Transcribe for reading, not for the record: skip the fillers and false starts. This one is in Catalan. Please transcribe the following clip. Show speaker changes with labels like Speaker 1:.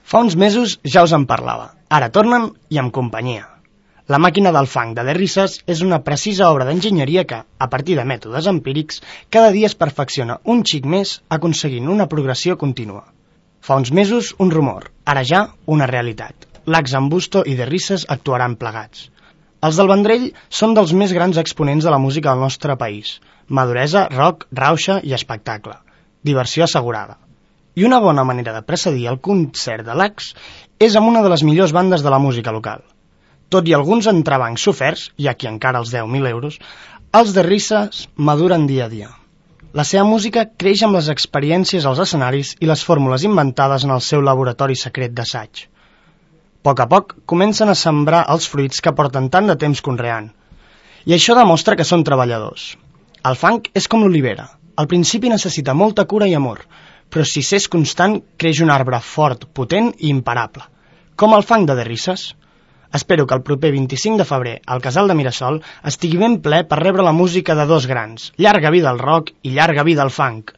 Speaker 1: Fa uns mesos ja us en parlava, ara tornen i amb companyia. La màquina del funk de The Risses és una precisa obra d'enginyeria que, a partir de mètodes empírics, cada dia es perfecciona un xic més aconseguint una progressió contínua. Fa uns mesos un rumor, ara ja una realitat. Lax Ambusto i The Risses actuaran plegats. Els del Vendrell són dels més grans exponents de la música del nostre país. Maduresa, rock, rauxa i espectacle. Diversió assegurada. I una bona manera de precedir el concert de Lax és amb una de les millors bandes de la música local. Tot i alguns entrebancs soferts, i a qui encara els deu 1.000 euros, els The Risses maduren dia a dia. La seva música creix amb les experiències als escenaris i les fórmules inventades en el seu laboratori secret d'assaig. A poc comencen a sembrar els fruits que porten tant de temps conreant. I això demostra que són treballadors. El funk és com l'olivera. Al principi necessita molta cura i amor, però si s'és constant, creix un arbre fort, potent i imparable. Com el funk de The Risses. Espero que el proper 25 de febrer al Casal de Mirasol estigui ben ple per rebre la música de dos grans. Llarga vida al rock i llarga vida al funk.